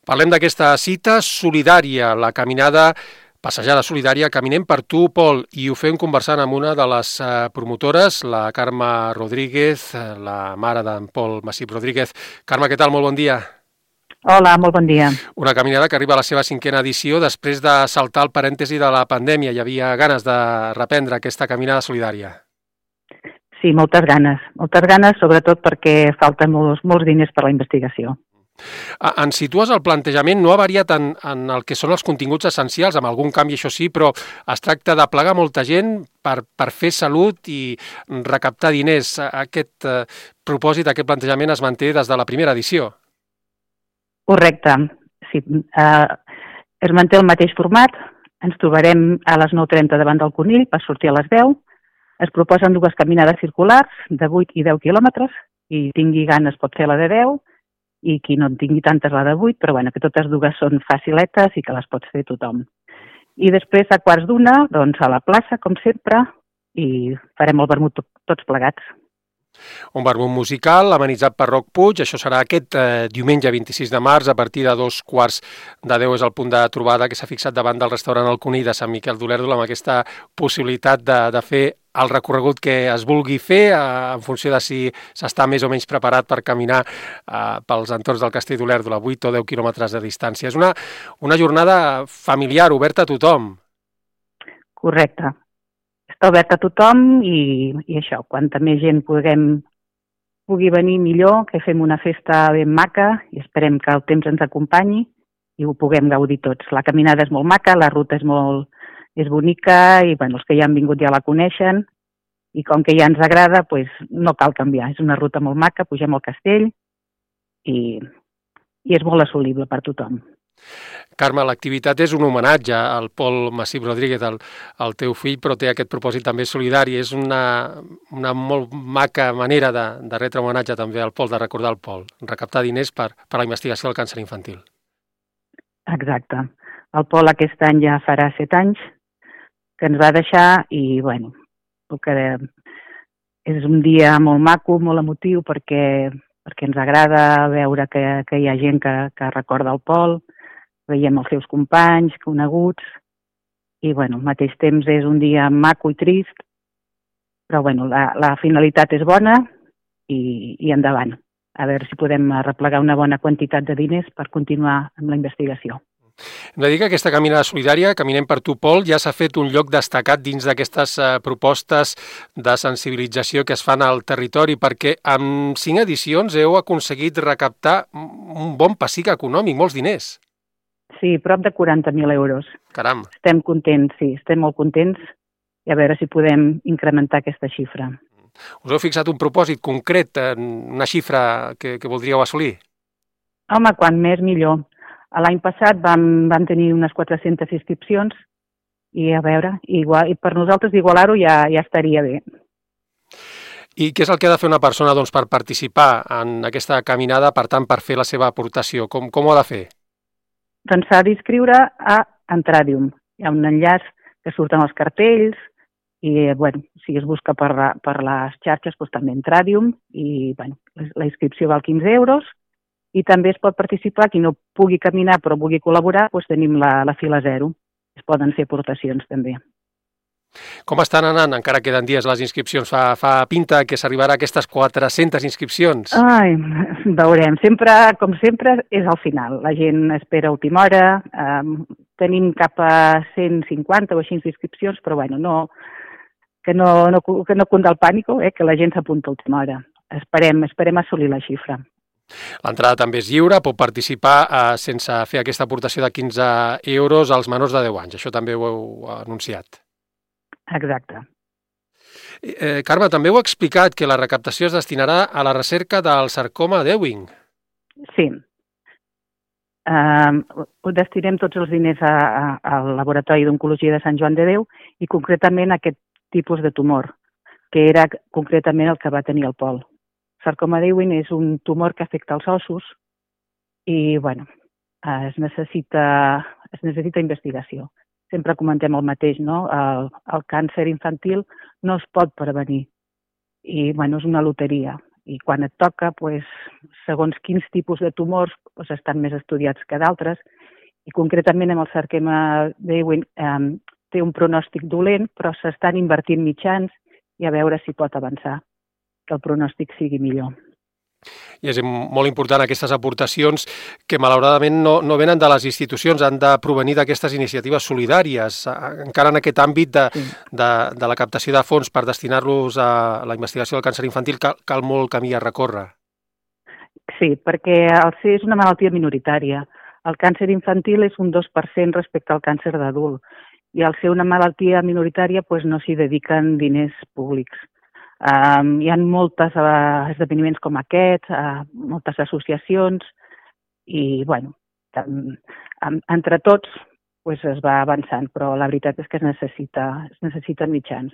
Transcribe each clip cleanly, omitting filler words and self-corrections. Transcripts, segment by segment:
Parlem d'aquesta cita solidària, la caminada, passejada solidària, Caminem per tu, Pol, i ho fem conversant amb una de les promotores, la Carme Rodríguez, la mare d'en Pol Massip Rodríguez. Carme, què tal? Molt bon dia. Hola, molt bon dia. Una caminada que arriba a la seva 5ª edició després de saltar el parèntesi de la pandèmia. Hi havia ganes de reprendre aquesta caminada solidària. Sí, moltes ganes, sobretot perquè falten molts diners per a la investigació. Ens situes el plantejament, no ha variat en el que són els continguts essencials, amb algun canvi, això sí, però es tracta de plegar molta gent per fer salut i recaptar diners. Aquest propòsit, aquest plantejament es manté des de la primera edició. Correcte, sí. Es manté el mateix format, ens trobarem a les 9:30 davant del Conill per sortir a les 10. Es proposen 2 caminades circulars de 8 i 10 quilòmetres, i tingui ganes pot fer la de 10, i qui no en tingui tantes la de 8, però bueno, que totes dues són faciletes i que les pot fer tothom. I després a 1:15, doncs a la plaça, com sempre, i farem el vermut tots plegats. Un vermut musical amenitzat per Roc Puig, això serà aquest diumenge 26 de març, a partir de 9:15 és el punt de trobada que s'ha fixat davant del restaurant El Conill de Sant Miquel d'Olèrdola, amb aquesta possibilitat de fer el recorregut que es vulgui fer en funció de si s'està més o menys preparat per caminar pels entorns del Castell d'Olèrdola, 8 o 10 quilòmetres de distància. És una jornada familiar, oberta a tothom. Correcte. Està obert a tothom i això, quanta més gent pugui venir millor, que fem una festa ben maca i esperem que el temps ens acompanyi i ho puguem gaudir tots. La caminada és molt maca, la ruta és bonica i bueno, els que ja han vingut ja la coneixen i com que ja ens agrada, doncs no cal canviar. És una ruta molt maca, pugem al castell i és molt assolible per tothom. Carme, l'activitat és un homenatge al Pol Massip Rodríguez, el teu fill, però té aquest propòsit també solidari. És una molt maca manera de retre homenatge també al Pol, de recordar el Pol, recaptar diners per a la investigació del càncer infantil. Exacte. El Pol aquest any ja farà 7 anys que ens va deixar i, bueno, és un dia molt maco, molt emotiu, perquè ens agrada veure que hi ha gent que recorda el Pol, veiem els seus companys, coneguts, i bueno, al mateix temps és un dia maco i trist, però bueno, la finalitat és bona i endavant. A veure si podem arreplegar una bona quantitat de diners per continuar amb la investigació. Hem de dir que aquesta caminada solidària, Caminem per tu, Pol, ja s'ha fet un lloc destacat dins d'aquestes propostes de sensibilització que es fan al territori, perquè amb 5 edicions heu aconseguit recaptar un bon pessic econòmic, molts diners. Sí, prop de 40.000 euros. Caram! Estem contents, sí, estem molt contents i a veure si podem incrementar aquesta xifra. Us heu fixat un propòsit concret, una xifra que voldríeu assolir? Home, quan més millor. L'any passat vam tenir unes 400 inscripcions i a veure, i per nosaltres igualar-ho ja estaria bé. I què és el que ha de fer una persona doncs, per participar en aquesta caminada, per tant, per fer la seva aportació? Com ho ha de fer? Doncs s'ha d'inscriure a Entradium. Hi ha un enllaç que surten els cartells i, bueno, si es busca per les xarxes, doncs també Entradium i, bueno, la inscripció val 15 euros. I també es pot participar, qui no pugui caminar però vulgui col·laborar, doncs tenim la fila 0. Es poden fer aportacions també. Com estan anant? Encara queden dies les inscripcions. Fa pinta que s'arribarà a aquestes 400 inscripcions. Ai, veurem. Com sempre, és al final. La gent espera a última hora. Tenim cap a 150 o així inscripcions, però bueno, que no cunda el pànic, que la gent s'apunta a última hora. Esperem assolir la xifra. L'entrada també és lliure, pot participar sense fer aquesta aportació de 15 euros als menors de 10 anys. Això també ho heu anunciat. Exacte. Carme, també heu explicat que la recaptació es destinarà a la recerca del sarcoma d'Ewing. Sí. Ho destinem tots els diners al Laboratori d'Oncologia de Sant Joan de Déu i concretament a aquest tipus de tumor, que era concretament el que va tenir el Pol. El sarcoma d'Ewing és un tumor que afecta els ossos i, bueno, es necessita investigació. Sempre comentem el mateix, no? El càncer infantil no es pot prevenir i, bueno, és una loteria. i quan et toca, segons quins tipus de tumors estan més estudiats que d'altres, i concretament amb el sarcoma d'Ewing té un pronòstic dolent, però s'estan invertint mitjans i a veure si pot avançar, que el pronòstic sigui millor. I és molt important aquestes aportacions que malauradament no venen de les institucions, han de provenir d'aquestes iniciatives solidàries. Encara en aquest àmbit de la captació de fons per destinar-los a la investigació del càncer infantil cal molt camí a recórrer. Sí, perquè el C és una malaltia minoritària. El càncer infantil és un 2% respecte al càncer d'adult i al ser una malaltia minoritària no s'hi dediquen diners públics. Hi ha molts esdeveniments com aquests, moltes associacions i, entre tots es va avançant, però la veritat és que es necessiten mitjans.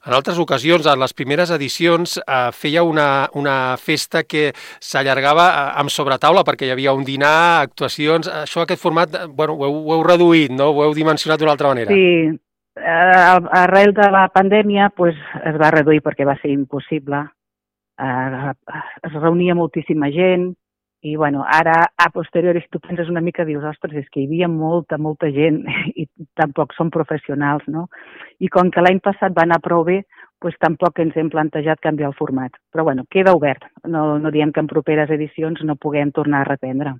En altres ocasions, en les primeres edicions, feia una festa que s'allargava amb sobretaula perquè hi havia un dinar, actuacions. Això, aquest format, ho heu reduït, no? Ho heu dimensionat d'una altra manera. Sí, arrel de la pandèmia es va reduir perquè va ser impossible. Es reunia moltíssima gent i ara, a posteriori, si tu penses una mica, dius, ostres, és que hi havia molta gent i tampoc són professionals, no? I com que l'any passat va anar prou bé, tampoc ens hem plantejat canviar el format. Però queda obert. No diem que en properes edicions no puguem tornar a reprendre.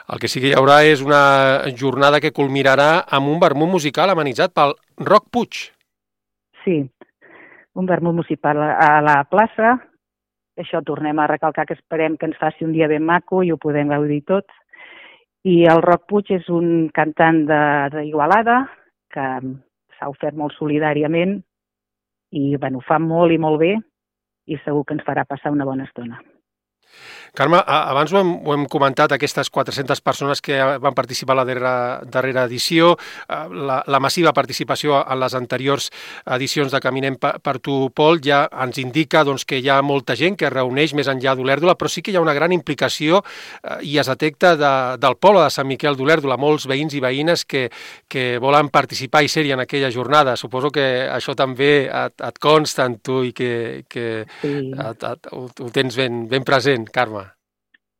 El que sí que hi haurà és una jornada que culminarà amb un vermut musical amenitzat pel Roc Puig. Sí, un vermut musical a la plaça. Això tornem a recalcar que esperem que ens faci un dia ben maco i ho podem gaudir tots. I el Roc Puig és un cantant d'Igualada que s'ha ofert molt solidàriament i ho fa molt i molt bé i segur que ens farà passar una bona estona. Carme, abans ho hem comentat, aquestes 400 persones que van participar a la darrera edició, la massiva participació en les anteriors edicions de Caminem per tu, Pol, ja ens indica que hi ha molta gent que es reuneix més enllà d'Olèrdola, però sí que hi ha una gran implicació i es detecta del poble de Sant Miquel d'Olèrdola, molts veïns i veïnes que volen participar i ser-hi en aquella jornada. Suposo que això també et consta en tu i que sí. Ho tens ben present, Carme.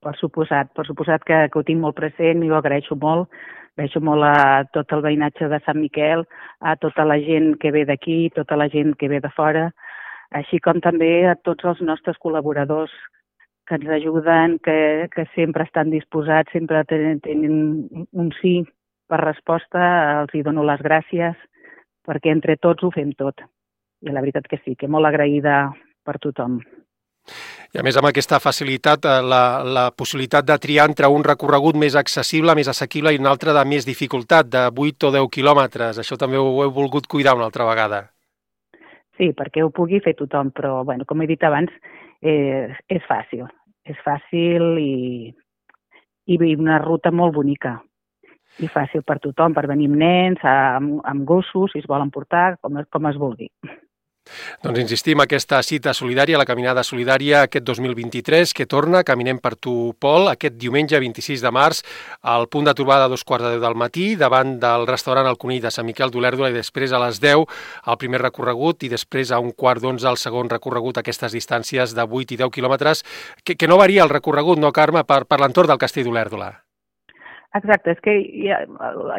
Per suposat que ho tinc molt present i ho agraeixo molt. Agraeixo molt a tot el veïnatge de Sant Miquel, a tota la gent que ve d'aquí, tota la gent que ve de fora, així com també a tots els nostres col·laboradors que ens ajuden, que sempre estan disposats, sempre tenen un sí per resposta. Els hi dono les gràcies perquè entre tots ho fem tot. I la veritat que sí, que molt agraïda per tothom. I a més amb aquesta facilitat, la possibilitat de triar entre un recorregut més accessible, més assequible i un altre de més dificultat, de 8 o 10 quilòmetres. Això també ho heu volgut cuidar una altra vegada. Sí, perquè ho pugui fer tothom, però com he dit abans, és fàcil. És fàcil i una ruta molt bonica. I fàcil per tothom, per venir amb nens, amb gossos, si es volen portar, com es vulgui. Doncs insistim, aquesta cita solidària, la caminada solidària aquest 2023, que torna, Caminem per tu, Pol, aquest diumenge 26 de març, al punt de trobada a 2:15 del matí, davant del restaurant El Conill de Sant Miquel d'Olèrdola, i després a les 10 el primer recorregut i després a 11:15 el segon recorregut, aquestes distàncies de 8 i 10 quilòmetres, que no varia el recorregut, no, Carme, per l'entorn del Castell d'Olèrdola? Exacte, és que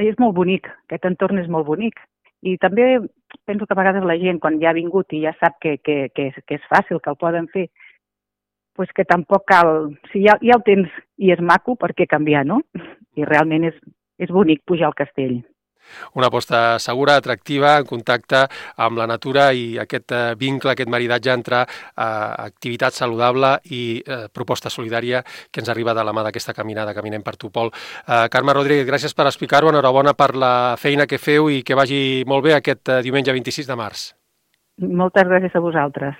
és molt bonic, aquest entorn és molt bonic. I també penso que a vegades la gent, quan ja ha vingut i ja sap que és fàcil, que el poden fer, que tampoc cal... Si ja el tens i és maco, per què canviar, no? I realment és bonic pujar al castell. Una aposta segura, atractiva, en contacte amb la natura i aquest vincle, aquest maridatge entre activitat saludable i proposta solidària que ens arriba de la mà d'aquesta caminada, Caminem per tu, Pol. Carme Rodríguez, gràcies per explicar-ho, enhorabona per la feina que feu i que vagi molt bé aquest diumenge 26 de març. Moltes gràcies a vosaltres.